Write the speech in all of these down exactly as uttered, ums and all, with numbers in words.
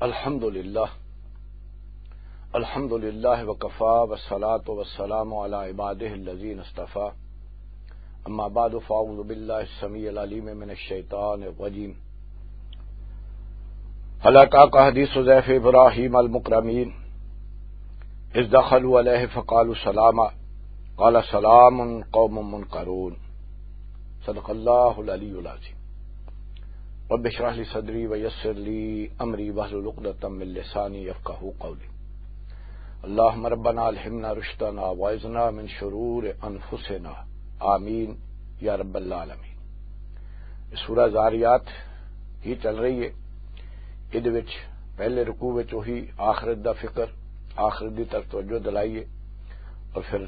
الحمد لله. الحمد لله وكفى، والصلاة والسلام على عباده الذين اصطفى. أما بعد، فأعوذ بالله السميع العليم من الشيطان الرجيم. هل أتاك حديث ضيف إبراهيم المكرمين، إذ دخلوا عليه فقالوا سلاما، قال سلام قوم منكرون. صدق الله العلي العظيم. رب اشرح لي صدري ويسر لي أمري واحلل عقدة من لساني يفقهوا قولي. اللهم ربنا ألهمنا رشدنا وأعذنا من شرور أنفسنا. آمين يا رب العالمين. یہ سورہ زاریات ہی چل رہی ہے۔ ادھے وچ پہلے رکوع وچ وہی آخرت دا فکر، آخرت دی طرف توجہ دلائی ہے، اور پھر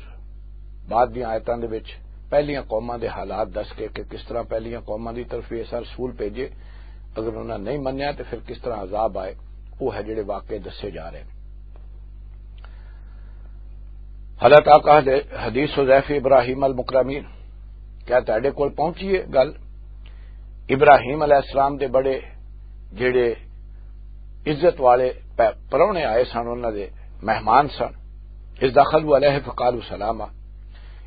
بعد دیاں آیتاں دے وچ پہلیاں قوماں دے حالات دس کے کہ کس طرح پہلیاں قوماں دی طرف وی ایسا رسول بھیجے، اگر انہاں نہیں منیا تے پھر کس طرح عذاب آئے، وہ ہے جڑے واقعے دسے جا رہے ہیں۔ حضرت آقا حدیث حذیف ابراہیم المکرمین، کیا تہاڈے کول پہنچی ہے گل؟ ابراہیم علیہ السلام دے بڑے جڑے عزت والے پہ-، پرہنے آئے سن، انہاں دے مہمان سن۔ اذ دخلوا علیہ فقالوا سلاما۔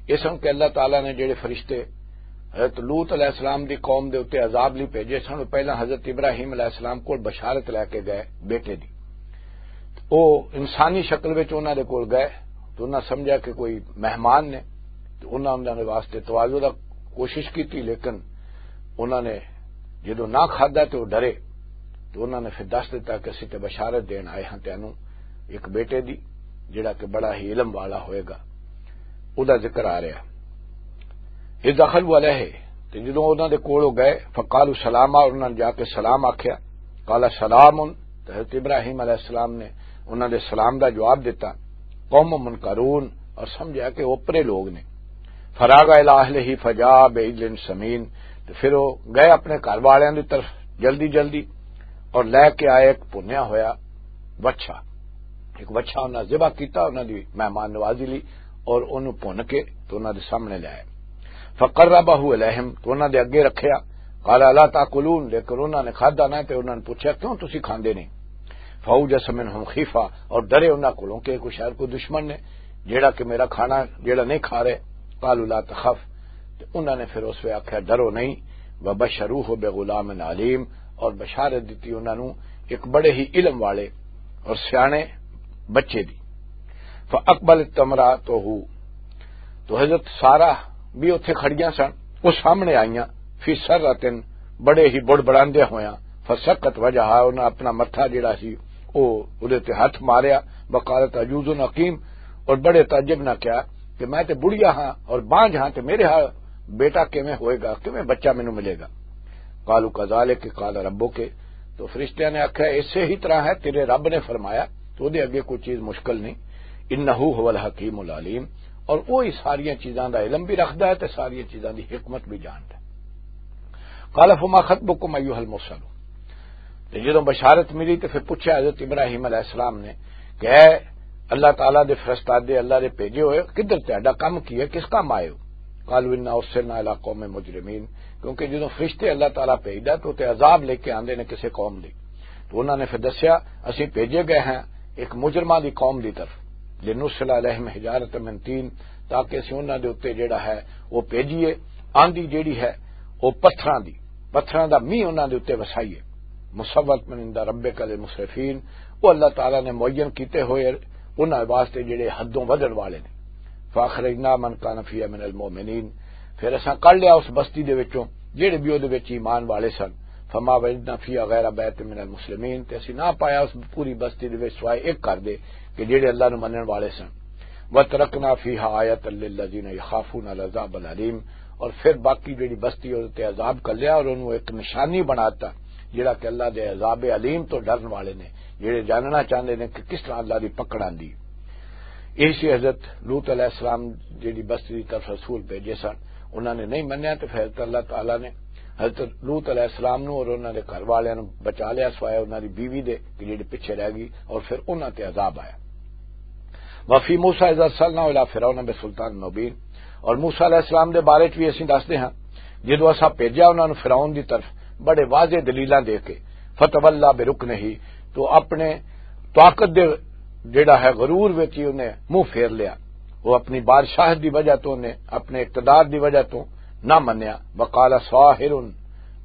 یہ سن کہ اللہ تعالیٰ نے جڑے فرشتے حضرت لوط علیہ السلام دی قوم دے اُتے عذاب لئی بھیجے سن، وہ پہلاں حضرت ابراہیم علیہ السلام کول بشارت لے کے گئے بیٹے دی۔ وہ انسانی شکل وچ انہاں دے کول گئے تو انہاں سمجھا کہ کوئی مہمان نے، تو انہاں انہاں دے واسطے تواضع دا کوشش کیتی، لیکن انہاں نے جدوں نہ کھادا تے وہ ڈرے، تو انہاں نے پھر دس دتا کہ اسی تے بشارت دین آئے ہاں تینوں ایک بیٹے دی، جڑا کہ بڑا ہی علم والا ہوئے گا۔ او دا ذکر آ رہا۔ اذ دخلوا علیہ، تے جدوں انہاں دے کول او گئے، فقالوا سلاما، انہاں نے جا کے سلام آکھیا۔ قال سلام، تے حضرت ابراہیم علیہ السلام نے انہاں دے سلام دا جواب دتا۔ قوم منکرون، اور سمجھا کہ اوپرے لوگ نے۔ فراغ الی اہلہ فجاء بعجل سمین، تے پھر وہ گئے اپنے گھر والوں کی طرف جلدی جلدی اور لے کے آئے ایک بھنیا ہویا وچھا۔ ایک وچھا انہاں ذبح کیتا انہاں دی مہمان نوازی لئی، اور انہوں بھن کے تو انہاں دے سامنے لے آئے۔ فقربہ الیہم، تو انہاں دے اگے رکھیا۔ قال الا تاکلون، لیکن انہاں نے کھادا نہ، تے انہاں نے پوچھا کیوں تسی کھاندے نہیں؟ فاوجس منہم خیفہ، اور ڈرے انہاں کولوں کہ کوئی شاید کوئی دشمن نے جیڑا کہ میرا کھانا جیڑا نہیں کھا رہے۔ قالوا لا تخف، تے انہاں نے پھر اس وے آکھیا ڈرو نہیں۔ وبشروہ بغلام علیم، اور بشارت دتی انہاں نوں ایک بڑے ہی علم والے اور سیانے بچے دی۔ فاقبلت امراتہ، تو حضرت سارہ بھی اتھے کھڑیاں سن، وہ سامنے آئیاں، فی سرۃ، بڑے ہی بڑبڑاندے ہویاں، فسقت وجہا، انہاں اپنا متھا جڑا سی او اودے تے ہاتھ ماریا، وقالت عجوز عقیم، اور بڑے تعجب نہ کیا کہ میں تے بڑھیا ہاں اور بانجھ ہاں، تے میرے ہاں بیٹا کیویں ہوئے گا، کیویں بچہ مینوں ملے گا؟ قالوا کذالک قال ربک، تو فرشتیاں نے آکھیا ایسے ہی طرح ہے، تیرے رب نے فرمایا، تو دے اگے کوئی چیز مشکل نہیں۔ انہ هو الحکیم العلیم، اور وہی ساریاں چیزاں دا علم بھی رکھدا ہے تے ساریاں چیزاں دی حکمت بھی جاندا ہے۔ قال فما خطبکم ایھا المرسلون، تے جدوں بشارت ملی تے پھر پوچھا حضرت ابراہیم علیہ السلام نے کہ اے اللہ تعالیٰ دے فرستادے، اللہ دے بھیجے ہوئے، کدھر تہاڈا کم کی ہے، کس کم آئے ہو؟ قالوا انا ارسلنا الی قوم مجرمین، کیونکہ جدوں فرشتے اللہ تعالیٰ بھیجدا تو تے عذاب لے کے آندے نے کسے قوم دی۔ تو انہاں نے پھر دسیا، اسی بھیجے گئے ہیں ایک مجرماں دی قوم دی طرف، لنرسل علیہم حجارۃ من طین، تاکہ اسی انہاں دے اُتے جیڑا ہے وہ بھیجیے آندھی جیڑی ہے وہ پتھراں دی، پتھراں دا مینہ انہاں دے اُتے وسائیے۔ مسومۃ عند ربک للمسرفین، وہ اللہ تعالیٰ نے معین کیتے ہوئے انہاں واسطے جڑے حدوں ودھن والے نے۔ فاخرجنا من کان فیہا من المؤمنین، پھر اساں کڈ لیا اس بستی دے وچوں جڑے بھی اودے وچ ایمان والے سن۔ فما وجدنا فیہا غیر بیت من المسلمین، تے اسی نہ پایا اس پوری بستی دے وچ سوائے ایک گھر دے کہ جڑے اللہ نوں منن والے سن۔ وترکنا فیہا آیۃ للذین یخافون العذاب العلیم، اور پھر باقی جڑی بستی اودے تے عذاب کر لیا اور انہوں ایک نشانی بناتا جڑا کہ اللہ دے عذاب علیم تو ڈرن والے نے، جڑے جاننا چاہندے نے کہ کس طرح اللہ دی پکڑ آندی۔ یہی سی حضرت لوط علیہ السلام جڑی بستی دی طرف رسول بھیجے سن، انہاں نے نہیں منیا، تو پھر اللہ تعالیٰ نے حضرت لوط علیہ السلام نو اور انہاں دے گھر والیاں نو بچا لیا، سوائے انہاں دی بیوی دے کہ جڑی پیچھے رہ گئی، اور پھر انہاں تے عذاب آیا۔ وفی موسیٰ اذ ارسلناہ الی فرعون بسلطان مبین، اور موسیٰ علیہ السلام دے بارے چ بھی اسی دسدے ہاں، جدوں اساں بھیجا انہاں نو فرعون دی طرف بڑے واضح دلیلاں دے کے، فتولا برکنہ، تو اپنے طاقت دے جڑا ہے غرور وچ ہی انہیں منہ پھیر لیا۔ وہ اپنی بادشاہت دی وجہ تو، انہیں اپنے اقتدار دی وجہ تو نہ منیا۔ وقال ساحر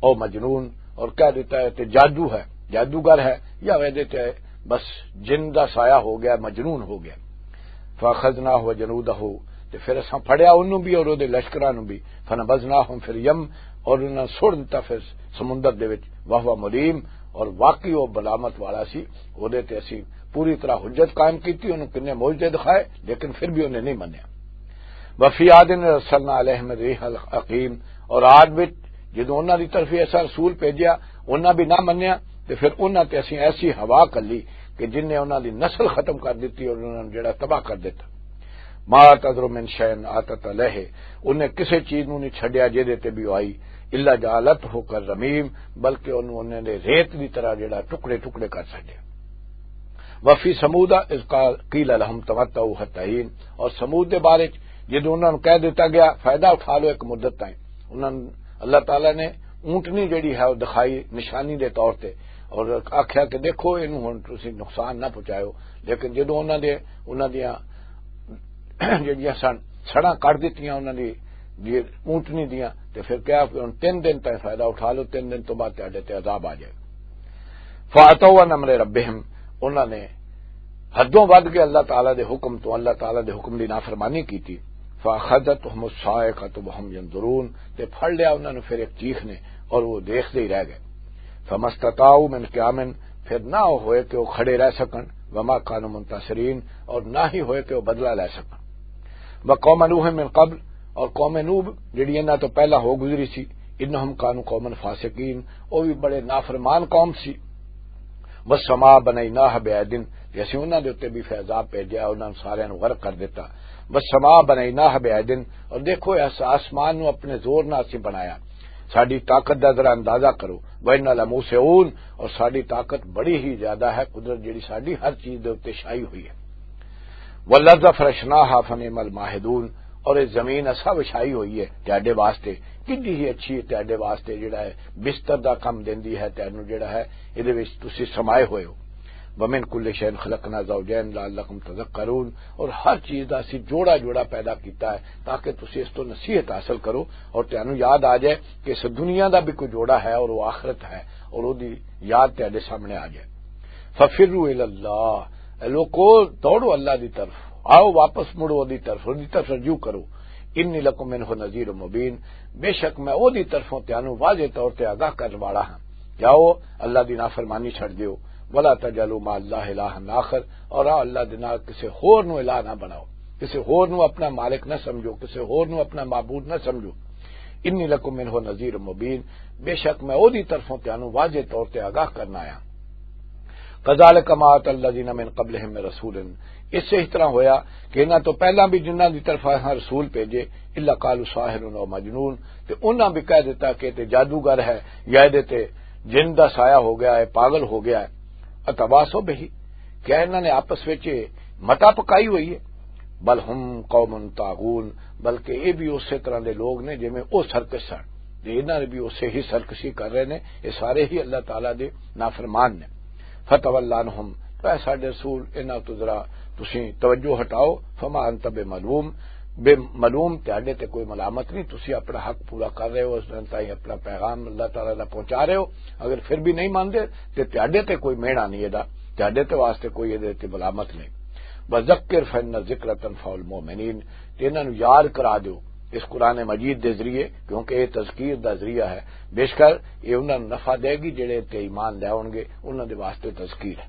او مجنون، اور کہہ دیتا ہے کہ جادو ہے، جادوگر ہے، یا ویدے تے بس جن دا سایہ ہو گیا، مجنون ہو گیا۔ فاخذناہ وجنودہ، تے پھر اساں پھڑیا انہوں بھی اور اودے لشکراں نوں بھی۔ فنبذناہم فی الیم، اور انہاں سڑ دتا پھر سمندر دے وچ۔ وہو ملیم، اور واقعی وہ ملامت والا سی۔ اودے تے اسی پوری طرح حجت قائم کیتی، انہوں کنے معجزے دکھائے، لیکن پھر بھی انہیں نہیں منیا۔ وفی عاد ارسلنا علیہم الريح العقيم، اور عاد وچ جدوں انہاں دی طرف ایسا رسول بھیجیا، انہاں بھی نہ منیا، تے پھر انہاں تے اسی ایسی ہوا کلی کہ جن نے انہاں دی نسل ختم کر دتی اور انہاں نوں جڑا تباہ کر دتا۔ ما تذر من شيء اتت عليه، انہیں کسے چیز نوں نہیں چھڈیا جے دے تے بھی آئی، الا جعلته كالرميم، بلکہ انہوں انہیں دے ریت دی طرح جڑا ٹکڑے ٹکڑے کر چھڈیا۔ وفی ثمود اذ قال، قیل لهم تمتعوا حتى حين، اور ثمود دے بارے چ جدوں انہاں نوں کہہ دتا گیا، فائدہ اٹھا لو ایک مدت تائیں۔ انہاں نوں اللہ تعالیٰ نے اونٹنی جڑی ہے وہ دکھائی نشانی دے طور تے، اور آکھیا کہ دیکھو، اینوں ہن تسی نقصان نہ پہنچایو۔ لیکن جدوں انہاں دے، انہاں دیاں جڑیاں سن سڑاں کٹ دتیاں انہاں دی، دی اونٹنی دیاں، تے پھر کہیا کہ ہن تین دن تائیں فائدہ اٹھا لو، تین دن تو بعد تہاڈے تے عذاب آ جائے۔ فاتوا عن امر ربهم، انہاں نے حدوں ود کے اللہ تعالیٰ دے حکم تو، اللہ تعالیٰ دے حکم دی نافرمانی کیتی۔ فاخذتهم الصاعقة وهم ينظرون، تے پھڑ لیا انہاں نوں پھر ایک چیخ نے، اور وہ دیکھتے ہی رہ گئے۔ فما استطاعوا من قیام، پھر نہ ہوئے کہ وہ کھڑے رہ سکن، وما كانوا منتصرين، اور نہ ہی ہوئے کہ وہ بدلہ لے سکن۔ وقوم نوح من قبل، اور قوم نوح جڑی انہاں تو پہلا ہو گزری سی، انہم كانوا قوما فاسقين، وہ بھی بڑے نافرمان قوم سی۔ والسماء بنيناها بأيد، تے اسی انہاں دے اُتے بھی فیضاب بھیجیا، انہاں نوں ساریاں نوں غرق کر دتا۔ والسماء بنيناها بأيد، اور دیکھو، اس آسمان نوں اپنے زور نال اسی بنایا۔ ساڈی طاقت دا ذرا اندازہ کرو۔ وإنا لموسعون، اور ساڈی طاقت بڑی ہی زیادہ ہے، قدرت جڑی ساڈی ہر چیز دے اُتے شاہی ہوئی ہے۔ والأرض فرشناها فنعم الماهدون، اور یہ زمین اسا وچھائی ہوئی ہے تہاڈے واسطے، کڈی ہی اچھی ہے تہاڈے واسطے، جڑا ہے بستر دا کم دیندی ہے تینوں، جڑا ہے ایدے وچ تسی سمائے ہوئے ہو۔ ومن كل شيء خلقنا زوجين لعلكم تذكرون، اور ہر چیز دا اسی جوڑا جوڑا پیدا کیتا ہے تاکہ تسی اس تو نصیحت حاصل کرو اور تینوں یاد آ جائے کہ اس دنیا دا بھی کوئی جوڑا ہے اور وہ آخرت ہے، اور وہ دی یاد تہاڈے سامنے آ جائے۔ ففروا الى الله، اے لوکو، دوڑو اللہ دی طرف، آؤ واپس مڑو دی طرف، دی طرف رجوع کرو۔ انی لکم منہ نذیر مبین، بے شک میں او دی طرفوں تانوں واضح طور تے آگاہ کرن والا ہاں۔ جاؤ، اللہ دی نافرمانی چھڈ دیو۔ ولا تجعلوا مع اللہ الہا آخر، اور آؤ اللہ دے نال کسے ہور نو الہ نہ بناؤ، کسے ہور نو اپنا مالک نہ سمجھو، کسے ہور نو اپنا معبود نہ سمجھو۔ انی لکم منہ نذیر مبین، بے شک میں او دی طرفوں تانوں واضح طور تے آگاہ کرنا آیا۔ کذالک ما ات الذین من قبلہم من رسول، اس سے اس طرح ہویا کہ انہاں تو پہلا بھی جنہاں دی طرف ہاں رسول بھیجے، الا قالوا ساحر او مجنون، تے انہاں بھی کہہ دیتا کہ تے جادوگر ہے یا دے تے جن دا سایہ ہو گیا ہے، پاگل ہو گیا ہے۔ اتواصوا بہ، کیا انہاں نے آپس وچ متا پکائی ہوئی ہے؟ بل ہم قوم طاغون، بلکہ یہ بھی اسی طرح دے لوگ نے جویں او سرکش سن، تے انہاں نے بھی اسے ہی سرکشی کر رہے نے۔ یہ سارے ہی اللہ تعالیٰ دے نافرمان نے۔ فتول عنہم، تو اے ساڈے رسول، انہاں تو ذرا تسی توجہ ہٹاؤ۔ فما انت بملوم، بے ملوم، تہاڈے تے کوئی ملامت نہیں، تسی اپنا حق پورا کر رہے ہو، اس دن تائیں اپنا پیغام اللہ تعالیٰ دا پہنچا رہے ہو۔ اگر پھر بھی نہیں مانتے تے تہاڈے تے کوئی مہنا نہیں، ادا تہاڈے تے واسطے کوئی ادے تے ملامت نہیں۔ وذکر فإن الذکر تنفع المؤمنین، تے انہاں نوں یاد کرا دیو اس قرآن مجید دے ذریعے، کیونکہ یہ تذکیر دا ذریعہ ہے۔ بے شک یہ انہاں نوں نفع دے گی جڑے تے ایمان لے آؤن گے، انہاں دے واسطے تذکیر ہے۔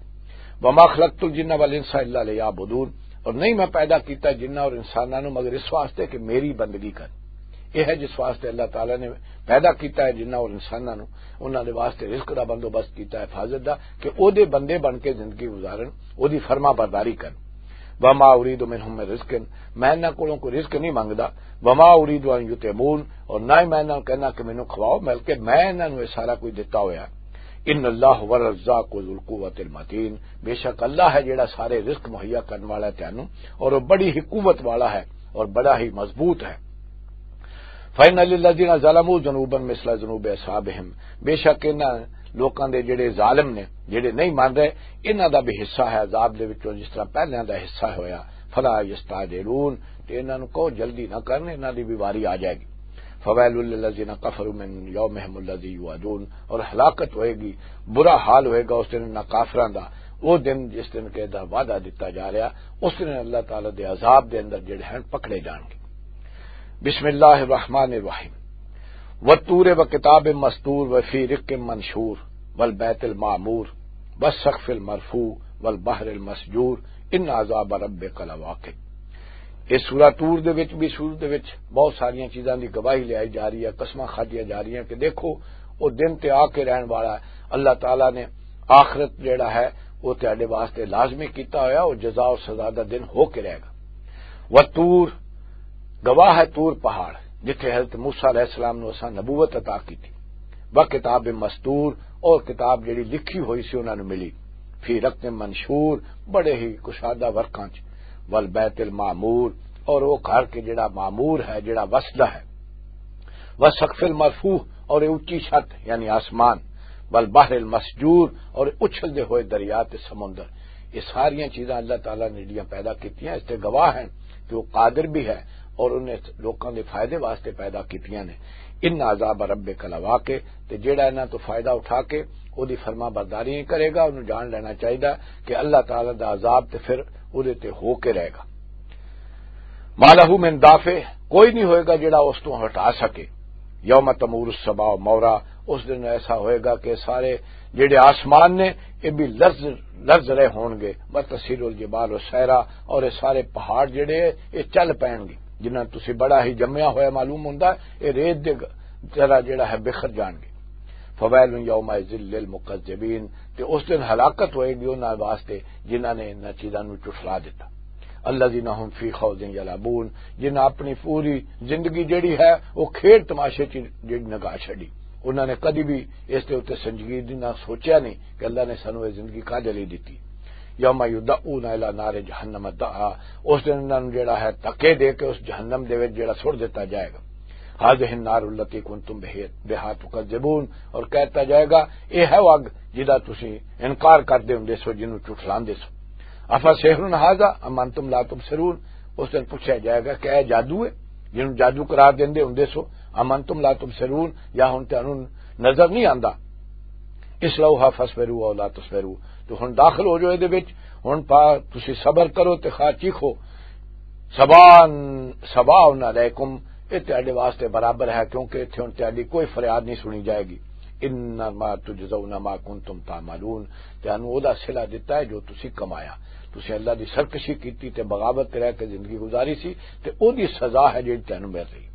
وما خلقت الجن والانس الا لیعبدون، اور نہیں میں پیدا کیتا جناں اور انساناں نوں مگر اس واسطے کہ میری بندگی کر۔ یہ ہے جس واسطے اللہ تعالیٰ نے پیدا کیتا ہے جناں اور انساناں نوں، انہاں دے واسطے رزق دا بندوبست کیتا ہے، حفاظت دا، کہ او دے بندے بن کے زندگی گزارن، او دی فرما برداری کرن۔ وما اريد منهم من رزق، میں انہاں کولوں کوئی رزق نہیں منگدا۔ وما اريد ان يطعمون، اور نہ ہی میں انہاں نوں کہنا کہ مینوں کھواؤ، بلکہ میں انہاں نوں یہ سارا کچھ دتا ہویا ہے۔ ان اللہ هو الرزاق ذو القوة المتین، بے شک اللہ ہے جڑا سارے رزق مہیا کرن والا ہے تینوں، اور وہ بڑی ہی قوت والا ہے اور بڑا ہی مضبوط ہے۔ فإن للذين ظلموا ذنوبا مثل ذنوب أصحابهم، بے شک انہاں لوکاں دے جڑے ظالم نے، جڑے نہیں مان رہے، انہاں دا بھی حصہ ہے عذاب دے وچوں، جس طرح پہلیاں دا حصہ ہویا۔ فلا یستعجلون، تے انہاں نوں کہو جلدی نہ کرن، انہاں دی بھی واری آ جائے گی۔ فویل للذین کفروا من یومہم الذی یوعدون، اور ہلاکت ہوئے گی، برا حال ہوئے گا اس دن انہاں کافراں دا، وہ دن جس دن کہ دا وعدہ دتا جا رہا، اس دن اللہ تعالی دے عذاب دے اندر جڑے ہیں پکڑے جان گے۔ بسم اللہ الرحمن الرحیم۔ والطور وکتاب مستور وفی رق منشور والبیت المعمور والسقف المرفوع والبحر المسجور ان عذاب ربک لواقع۔ اس سورہ طور دے وچ بھی، سورہ دے وچ بہت ساریاں چیزاں دی گواہی لیائی جا رہی ہے، قسماں کھادیاں جا رہی ہیں کہ دیکھو، وہ دن تے آ کے رہن والا ہے۔ اللہ تعالیٰ نے آخرت جڑا ہے، وہ تہاڈے واسطے لازمی کیتا ہویا، وہ جزا اور سزا دا دن ہو کے رہے گا۔ وطور، گواہ ہے طور پہاڑ، جتھے حضرت موسیٰ علیہ السلام نو اساں نبوت عطا کی تھی۔ وکتاب مستور، اور کتاب جڑی لکھی ہوئی سی انہاں نو ملی۔ فی رق منشور، بڑے ہی کشادہ ورقاں چ۔ والبیت المعمور، اور وہ گھر کے جڑا معمور ہے، جڑا وسدا ہے۔ والسقف المرفوع، اور یہ اونچی چھت یعنی آسمان۔ والبحر المسجور، اور اچھلدے ہوئے دریا تے سمندر۔ یہ ساریاں چیزاں اللہ تعالیٰ نے جڑیاں پیدا کیتیاں، اس تے گواہ ہیں کہ وہ قادر بھی ہے اور انہیں لوکاں دے فائدے واسطے پیدا کیتیاں نے۔ ان عذاب ربک لواقع، تے جیڑا انہاں تو فائدہ اٹھا کے او دی فرما برداری نہیں کرے گا، انہوں جان لینا چاہیے کہ اللہ تعالیٰ دا عذاب تے پھر او دے تے ہو کے رہے گا۔ ما لہ من دافع، کوئی نہیں ہوئے گا جڑا اس تو ہٹا سکے۔ یوم تمور السماء مورا، اس دن ایسا ہوئے گا کہ سارے جڑے آسمان نے، یہ بھی لرز، لرز رہے ہون گے۔ وتسیر الجبال سیرا، اور یہ سارے پہاڑ جڑے، یہ چل پین گے۔ جنہاں تسی بڑا ہی جمیا ہویا معلوم ہوندا ہے، یہ ریت دے طرح جڑا ہے بکھر جان گے۔ فویل یومئذ للمکذبین، تے اس دن ہلاکت ہوئے گی انہاں واسطے جنہاں نے انہاں چیزاں نوں جھٹلا دتا۔ الذین هم فی خوض یلعبون، جنہاں اپنی پوری زندگی جڑی ہے، وہ کھیڈ تماشے چ جڑی نگاہ چھڈی۔ انہاں نے کدی بھی اس دے اُتے سنجیدگی نہ سوچیا نہیں کہ اللہ نے سانوں یہ زندگی کدے لئی دتی۔ یوم یدعون الی نار جہنم دعا، اس دن انہاں نوں جڑا ہے دھکے دے کے اس جہنم دے وچ جڑا سٹ دتا جائے گا۔ هذه النار التي كنتم بها تكذبون، اور کہتا جائے گا، یہ ہے وہ اگ جدا تسی انکار کردے ہوندے سو، جنوں جھٹلاندے سو۔ افسحر هذا ام انتم لا تبصرون، اس دن پوچھا جائے گا کہ اے جادو ہے، جنوں جادو قرار دیندے ہوندے سو، ام انتم لا تبصرون، یا ہن تانوں نظر نہیں آندا؟ اصلوها فاصبروا او لا تصبروا، تو ہن داخل ہو جاؤ دے وچ، ہن پا تسی صبر کرو تے خواہ چیخو۔ سواء، سواء علیکم، یہ تہاڈے واسطے برابر ہے، کیونکہ اتھے ہن تہاڈی کوئی فریاد نہیں سنی جائے گی۔ انما تجزون ما کنتم تعملون، تانوں او دا صلہ دتا ہے جو تسی کمایا۔ تسی اللہ دی سرکشی کیتی تے بغاوت تے رہ کے زندگی گزاری سی، تے او دی سزا ہے جڑی تانوں مل رہی۔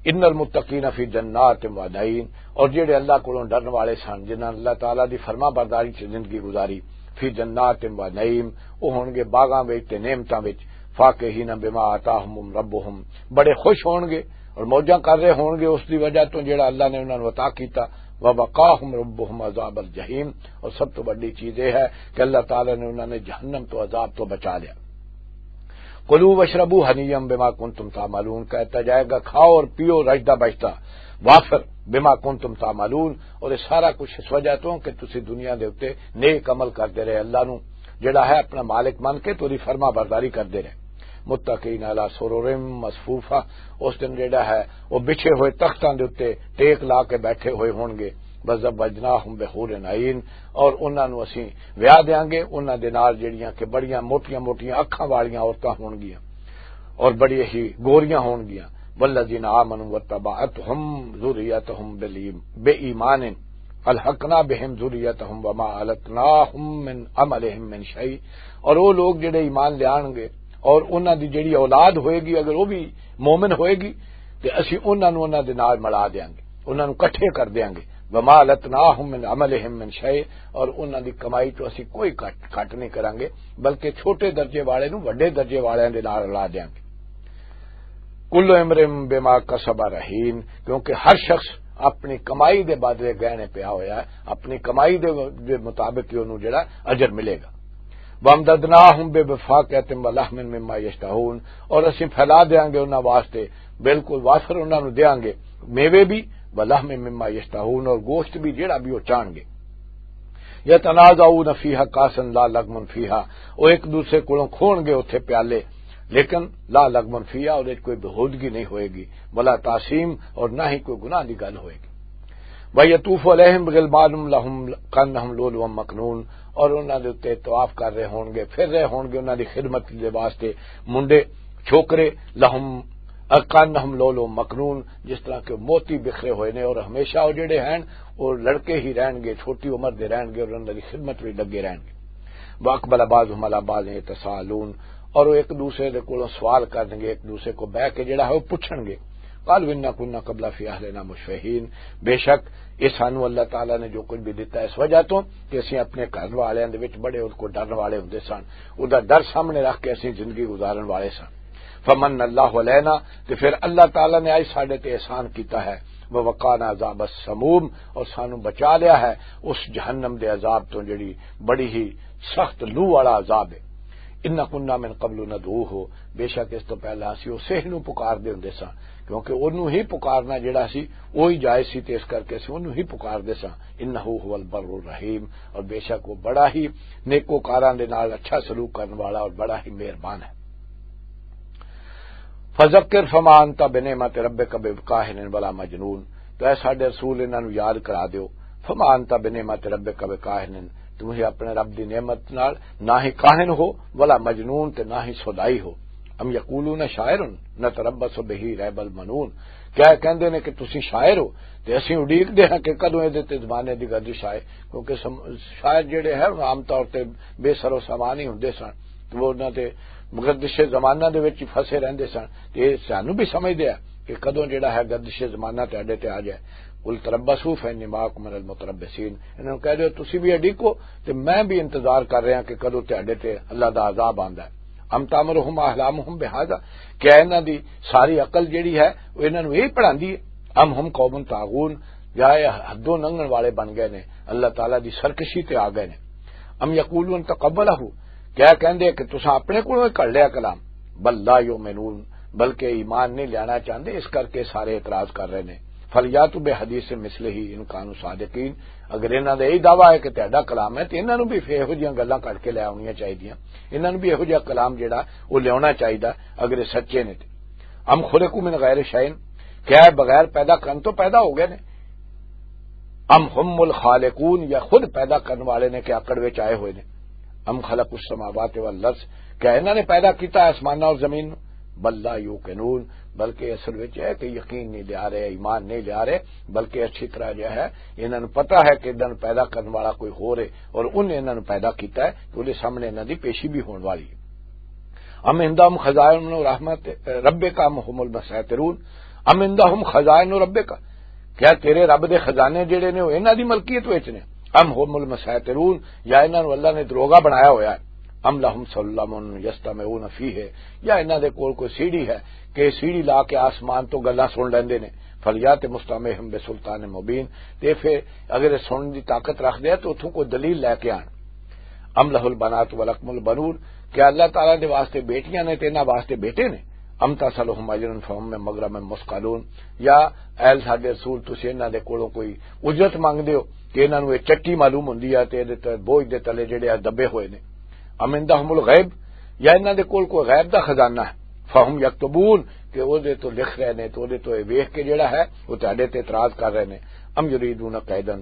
ان المتقین فی جنات و نعیم، اور جڑے اللہ کولوں ڈرن والے سن، جنہاں اللہ تعالیٰ دی فرما برداری چ زندگی گزاری، فی جنات و نعیم، وہ ہون گے باغاں وچ تے نعمتاں وچ، فاکہین بما آتاہم ربہم، بڑے خوش ہون گے اور موجاں کر رہے ہون گے اس دی وجہ تو جڑا اللہ نے انہاں نوں عطا کیتا، ووقاہم ربہم عذاب الجحیم، اور سب تو بڑی چیز یہ ہے کہ اللہ تعالیٰ نے انہاں نے جہنم تو عذاب تو بچا لیا۔ کلوا واشربوا ہنیئا بما کنتم تعملون، کہتا جائے گا، کھاؤ اور پیو رجدا بجدا وافر، بما کنتم تعملون، اور یہ سارا کچھ اس وجہ تو کہ تسی دنیا دے اُتے نیک عمل کردے رہے، اللہ نو جڑا ہے اپنا مالک من کے توری فرما برداری کردے رہے۔ متقین علی سرر مصفوفہ، اس دن جڑا ہے وہ بچھے ہوئے تختاں دے اُتے ٹیک لا کے بیٹھے ہوئے ہون گے۔ وزوجناہم بحور عین، اور انہاں نوں اسیں ویاہ دیاں گے انہاں دے نال جڑیاں کہ بڑیاں موٹیاں موٹیاں اکھاں والیاں عورتاں ہون گیاں اور بڑی ہی گوریاں ہون گیاں۔ والذین آمنوا واتبعتهم ذریتهم بالایمان، بے ایمان، الحقنا بهم ذریتهم وما علتناهم من عملهم من شیء، اور وہ لوگ جڑے ایمان لے آن گے اور انہاں دی جڑی اولاد ہوئے گی، اگر وہ بھی مومن ہوئے گی، تے اسی انہاں نوں انہاں دے نال ملا دیاں گے، انہاں نوں اکٹھے کر دیاں گے۔ وما لتناہم من عملہم من شیء، اور انہاں دی کمائی چوں اسی کوئی کٹ، کٹ نہیں کراں گے، بلکہ چھوٹے درجے والے نوں وڈے درجے والے دے نال رلا دیاں گے۔ کل امرئ بما کسب رہین، کیونکہ ہر شخص اپنی کمائی دے بدلے گہنے پیا ہویا ہے، اپنی کمائی دے، دے مطابق ہی انہوں جڑا اجر ملے گا۔ وامددناہم بفاکہۃ ولحم مما یشتہون، اور اسیں پھیلا دیاں گے انہاں واسطے بالکل وافر انہاں نوں دیاں گے میوے بھی، ولحم مما یشتہون، اور گوشت بھی جڑا بھی وہ چاہن گے۔ یتنازعون فیہا کاسن لا لغم فیہا، وہ ایک دوسرے کولوں کھون گے اتھے پیالے، لیکن لا لغم فیہا، اور کوئی بہودگی نہیں ہوئے گی، ولا تاثیم، اور نہ ہی کوئی گناہ دی گل ہوئے گی۔ وَيَطُوفُ عَلَيْهِمْ غِلْمَانٌ لَهُمْ كَأَنَّهُمْ لُؤْلُؤٌ مَّكْنُونٌ، اور انہاں دے اُتے طواف کر رہے ہون گے، پھر رہے ہون گے انہاں دی خدمت دے واسطے منڈے، چھوکرے، لہم، کانہم لولو مکنون، جس طرح کہ موتی بکھرے ہوئے نے، اور ہمیشہ وہ جڑے ہیں، وہ لڑکے ہی رہن گے، چھوٹی عمر دے رہن گے، اور انہاں دی خدمت وچ لگے رہن گے۔ واقبل بعضهم على بعض يتساءلون، اور وہ ایک دوسرے دے کولوں سوال کرن گے، ایک دوسرے کو بہ کے جڑا ہے وہ پوچھن گے۔ قالوا إنا كنا قبل في أهلنا مشفقين، بے شک یہ سانو اللہ تعالیٰ نے جو کچھ بھی دتا ہے اس وجہ تو کہ اسی اپنے گھر والوں دے وچ بڑے ان کو ڈرن والے ہوندے سن، ادا ڈر سامنے رکھ کے اسی زندگی گزارن والے سن۔ فمن اللہ علینا، تے پھر اللہ تعالیٰ نے آج ساڈے تے احسان کیتا ہے، ووقانا عذاب السموم، اور سانو بچا لیا ہے اس جہنم دے عذاب تو جڑی بڑی ہی سخت لو والا عذاب ہے۔ ان کنا من قبل ندعوہ، بے شک اس تو پہلا اسی اسے نو پکار دے ہوندے ساں، کیونکہ اونوں ہی پکارنا جڑا سی وہی جائز سی، تے اس کر کے اسی اونوں ہی پکار دے ساں۔ انہ هو البر الرحیم، اور بے شک وہ بڑا ہی نیکوکاراں دے نال اچھا سلوک کرن والا اور بڑا ہی مہربان ہے۔ فذکر فما انت بنعمت ربک بکاہن ولا مجنون، تو اے ساڈے رسول، انہاں نوں یاد کرا دیو۔ فما انت بنعمت ربک بکاہن، تم ہی اپنے رب دی نعمت نال نہ ہی کاہن ہو، ولا مجنون، تے نہ ہی سودائی ہو۔ ام یقولون شاعر نتربص بہ ریب المنون، کیا یہ کہندے نے کہ تسی شاعر ہو، تے اسی اڈیکدے ہاں کہ کدوں اے دے تے زمانے دی گردش آئے، کیونکہ سم-، شاعر جڑے ہیں عام طور تے بے سر و سامان ہی ہوندے سن، تے وہ انہاں تے گردش زمانہ دے وچ ہی پھسے رہندے سن۔ تے سانوں بھی سمجھدے آ کہ کدوں جڑا ہے گردش زمانہ تے اڈے تے آ جائے۔ قل تربصوا فإني معكم من المتربصين، انہاں نوں کہہ دیو تسی بھی اڈیکو، تے میں بھی انتظار کر رہا کہ کدوں تے اڈے تے اللہ دا عذاب آندا ہے۔ ام تامرہم احلامہم بہذا، کیا انہاں دی ساری عقل جڑی ہے وہ انہاں نوں یہی پڑھاندی ہے؟ ام ہم قوم طاغون، یا یہ حدوں لنگھن والے بن گئے نے، اللہ تعالیٰ دی سرکشی تے آ گئے نے۔ ام یقولون تقبلہ، کیا کہندے کہ تساں اپنے کولوں ہی کڑ لیا کلام؟ بل لا یؤمنون، بلکہ ایمان نہیں لینا چاہندے، اس کر کے سارے اعتراض کر رہے نے۔ فلیاتوا بحدیث مثلہ ان کانوا صادقین، اگر انہاں دا یہ دعویٰ ہے کہ تہاڈا کلام ہے، تے انہاں نوں بھی فیر ایہو جیاں گلاں کڈ کے لے آونیاں چاہیدیاں، انہاں نوں بھی ایہو جیہا کلام جڑا وہ لیاونا چاہیدا اگر یہ سچے نے تے۔ ام خلقوا من غیر شیء، کیا یہ بغیر پیدا کرن تو پیدا ہو گئے نے؟ ام ہم الخالقون، یا خود پیدا کرن والے نے کہ آکڑ وچ آئے ہوئے نے؟ ام خلقوا السماوات والارض، کیا انہاں نے پیدا کیتا ہے آسماناں اور زمین نوں؟ بل لا یوقنون، بلکہ اصل وچ ہے کہ یقین نہیں لیا رہے، ایمان نہیں لیا رہے، بلکہ اچھی طرح جو ہے انہاں نوں پتہ ہے کہ انہاں نوں پیدا کرن والا کوئی ہور ہے اور انہیں انہاں نوں پیدا کیتا ہے، تو انہیں سامنے انہاں دی پیشی بھی ہون والی ہے۔ ام عندہم خزائن رحمت ربک ام ہم المسیطرون، ام عندہم خزائن ربک، کیا تیرے رب دے خزانے جڑے نے وہ انہاں دی ملکیت وچ نے؟ ام ہم المسیطرون، یا انہاں نوں اللہ نے دروغا بنایا ہویا ہے؟ ام لہم سلم یستمعون فیہ، یا انہاں دے کول کوئی سیڑھی ہے کہ سیڑھی لا کے آسمان تو گلاں سن لیندے نے؟ فلیات مستمعہم بسلطان مبین، تے پھر اگر یہ سنن دی طاقت رکھ دے تو اتھوں کوئی دلیل لے کے آن۔ ام لہ البنات ولکم البنون، کیا اللہ تعالیٰ دے واسطے بیٹیاں نے تے انہاں واسطے بیٹے نے؟ ام تسألہم اجرا فہم من مغرم مثقلون، یا اے ساڈے رسول، تسی انہاں دے کولوں کوئی اجرت منگدے ہو کہ انہاں نوں یہ چٹی معلوم ہوندی ہے تے ادھے تے بوجھ دے تلے جڑے آ دبے ہوئے نے؟ ام عندہم الغیب، یا انہاں دے کول کوئی غیب دا خزانہ ہے؟ فہم یکتبون، کہ او دے تو لکھ رہے نے، تو او دے تو یہ ویکھ کے جڑا ہے وہ تہاڈے تے اعتراض کر رہے نے۔ ام یریدون کیدا،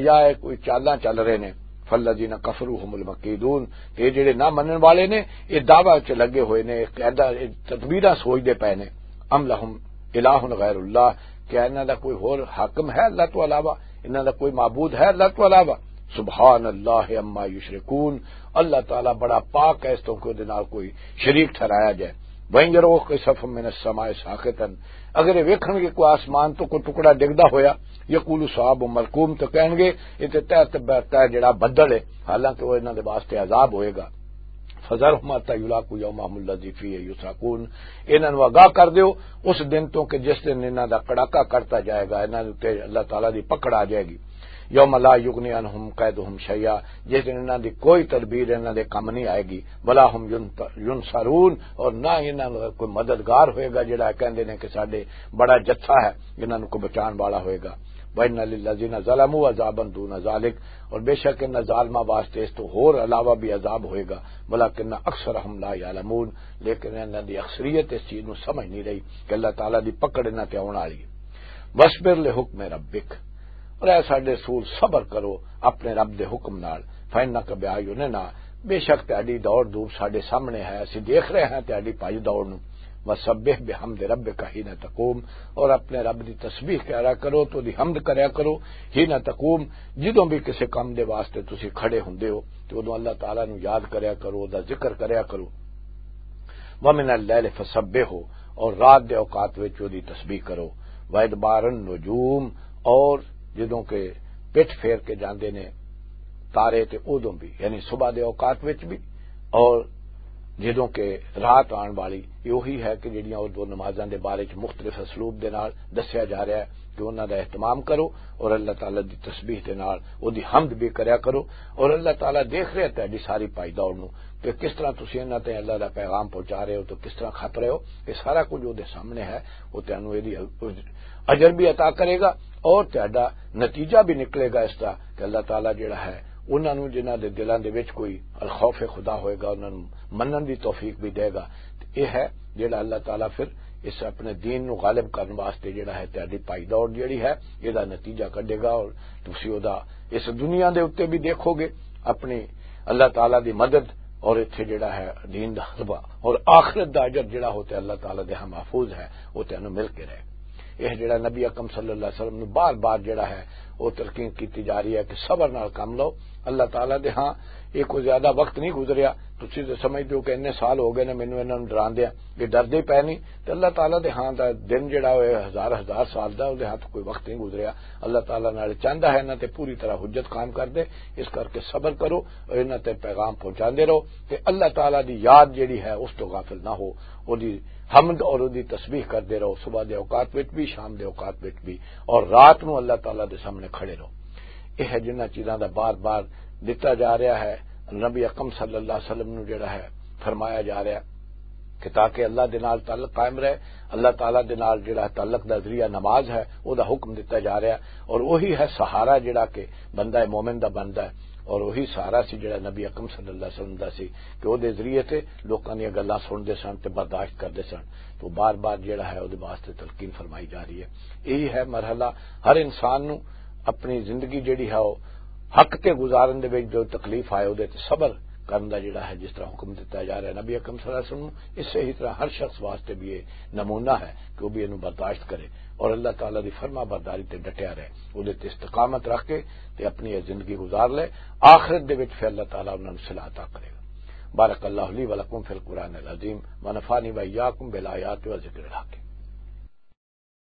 یا یہ کوئی چالاں چل رہے نے؟ فالذین کفروا هم المکیدون، تے جڑے نہ منن والے نے، یہ دعویٰ چ لگے ہوئے نے، قاعدہ، یہ تدبیراں سوچدے پئے نے۔ ام لہم الہ غیر اللہ، کیا انہاں دا کوئی ہور حاکم ہے اللہ تو علاوہ؟ انہاں دا کوئی معبود ہے اللہ تو علاوہ؟ سبحان اللہ عما یشرکون، اللہ تعالیٰ بڑا پاک ہے اس تو کہ دے نال کوئی شریک ٹھہرایا جائے۔ وَإِن يَرَوْا كِسَفًا مِّنَ السَّمَاءِ سَاقِطًا، اگر یہ ویکھن گے کوئی آسمان تو کوئی ٹکڑا ڈگدا ہویا، یقولوا سحاب مرکوم، تو کہن گے یہ تے تحت برتا ہے جڑا بدل ہے، حالانکہ وہ انہاں دے واسطے عذاب ہوئے گا۔ فذرهم حتى يلاقوا يومهم الذي فيه يصعقون، انہاں نوں آگاہ کر دیو اس دن تو کہ جس دن انہاں دا کڑاکا کرتا جائے گا، انہاں دے تے اللہ تعالیٰ دی پکڑ آ جائے گی۔ یوم لا یغنی عنہم کیدہم شیئا، جس دن انہاں دی کوئی تدبیر انہاں دے کم نہیں آئے گی۔ ولا هم ینت-، ینصرون، اور نہ انہاں نوں کوئی مددگار ہوئے گا جڑا کہندے نے کہ ساڈے بڑا جتھا ہے، انہاں نوں کوئی بچان والا ہوئے گا۔ وَإِنَّ لِلَّذِينَ ظَلَمُوا عَذَابًا دُونَ ذَلِكَ، اور بے شک انہاں ظالماں واسطے اس تو ہور علاوہ بھی عذاب ہوئے گا، وَلَٰكِنَّ أَكْثَرَهُمْ لَا يَعْلَمُونَ، لیکن انہاں دی اکثریت اس چیز نوں سمجھ نہیں رہی کہ اللہ تعالیٰ دی پکڑ انہاں تے آؤن والی ہے۔ وَاصْبِرْ لِحُكْمِ رَبِّكَ، اور اے ساڈے رسول، صبر کرو اپنے رب دے حکم نال، فَإِنَّكَ بِأَعْيُنِنَا، بے شک تہاڈی دوڑ دھوپ ساڈے سامنے ہے، اسی دیکھ رہے ہیں تہاڈی بھائی دوڑ نوں۔ وَسَبِّحْ بِحَمْدِ رَبِّكَ حِينَ تَقُومُ، اور اپنے رب دی تسبیح کرا کرو، تو دی حمد کریا کرو، حِينَ تَقُومُ، جدوں بھی کسے کام دے واسطے تسی کھڑے ہوندے ہو، تو ادوں اللہ تعالیٰ نوں یاد کریا کرو، دا ذکر کریا کرو۔ وَمِنَ اللَّيْلِ فَسَبِّحْهُ، اور رات دے اوقات وچ اودی تسبیح کرو۔ وَإِدْبَارَ النُّجُومِ، اور جدوں کہ پٹھ پھیر کے جاندے نے تارے، تے اودوں بھی، یعنی صبح دے اوقات وچ بھی، اور جدوں کہ رات آن والی، یہ وہی ہے کہ جڑیاں او دو نمازاں دے بارے چ مختلف اسلوب دے نال دسیا جا رہا ہے کہ انہاں دا اہتمام کرو اور اللہ تعالیٰ دی تسبیح دے نال او دی حمد بھی کریا کرو، اور اللہ تعالیٰ دیکھ رہا ہے تہاڈی ساری پائی دوڑ نوں کہ کس طرح تسی انہاں تے اللہ دا پیغام پہنچا رہے ہو، تو کس طرح کھپ رہے ہو، یہ سارا کچھ او دے سامنے ہے۔ وہ تینوں یہ اجر بھی عطا کرے گا اور تہاڈا نتیجہ بھی نکلے گا اس دا کہ اللہ تعالیٰ جڑا ہے، انہاں نوں جنہاں دے دلاں دے وچ کوئی الخوف خدا ہوئے گا، انہاں نوں منن دی توفیق بھی دے گا۔ تے یہ ہے جڑا اللہ تعالیٰ پھر اس اپنے دین نوں غالب کرن واسطے جڑا ہے، تہاڈی پائی دوڑ جڑی ہے، یہ دا نتیجہ کڈے گا، اور تسی او دا اس دنیا دے اُتے بھی دیکھو گے اپنی اللہ تعالیٰ دی مدد، اور اتھے جڑا ہے دین دا غلبہ، اور آخرت دا اجر جڑا ہو تے اللہ تعالیٰ دے ہاں محفوظ ہے، وہ تینوں مل کے رہے۔ یہ جڑا نبی اکرم صلی اللہ علیہ وسلم نوں بار بار جڑا ہے، وہ تلقین کیتی جا رہی ہے کہ صبر نال کم لو۔ اللہ تعالیٰ دے ہاں یہ کوئی زیادہ وقت نہیں گزریا۔ تسی تے سمجھدے ہو کہ اننے سال ہو گئے نے مینوں انہاں نوں ڈراندے، یہ ڈردے پے نہیں۔ تے اللہ تعالیٰ دے ہاں دا دن جڑا ہوئے ہزار ہزار سال دا، اودے ہاں تو کوئی وقت نہیں گزریا۔ اللہ تعالیٰ نال چاہندا ہے انہاں تے پوری طرح حجت قائم کر دے۔ اس کر کے صبر کرو اور انہاں تے پیغام پہنچاندے رہو، تے اللہ تعالیٰ دی یاد جڑی ہے اس تو غافل نہ ہو۔ اودی حمد اور اودی تسبیح کردے رہو، صبح دے اوقات وچ بھی، شام دے اوقات وچ بھی، اور رات نوں اللہ تعالیٰ دے سامنے کھڑے رہو۔ یہ ہے جنہاں چیزاں دا بار بار دتا جا رہا ہے۔ نبی اکرم صلی اللہ علیہ وسلم نوں جڑا ہے فرمایا جا رہا ہے کہ تاکہ اللہ دے نال تعلق قائم رہے، اللہ تعالیٰ دے نال جڑا تعلق دا ذریعہ نماز ہے، او دا حکم دتا جا رہا ہے، اور وہی ہے سہارا جڑا کہ بندہ مومن دا بندا ہے، اور وہی سہارا سی جڑا نبی اکرم صلی اللہ علیہ وسلم دا سی کہ او دے ذریعے تے لوکاں دیاں گلاں سنتے سن تے برداشت کردے سن۔ تو بار بار جڑا ہے او دے واسطے تلقین فرمائی جا رہی ہے۔ یہی ہے مرحلہ ہر انسان نوں اپنی زندگی جڑی ہے او حق تے گزارن دے وچ جو تکلیف آئے، اودے تے صبر کرن دا جڑا ہے، جس طرح حکم دتا جا رہا ہے نبی اکرم صلی اللہ علیہ وسلم نوں، اسے ہی طرح ہر شخص واسطے بھی یہ نمونہ ہے کہ وہ بھی انہوں برداشت کرے اور اللہ تعالیٰ دی فرما برداری تے ڈٹیا رہے، اودے تے استقامت رکھ کے تے اپنی یہ زندگی گزار لے۔ آخرت دے وچ پھر اللہ تعالیٰ انہاں نوں صلاح عطا کرے گا۔ بارک اللہ لی ولکم فی القرآن العظیم، ونفعنی وإیاکم بالآیات و ذکر الحکیم۔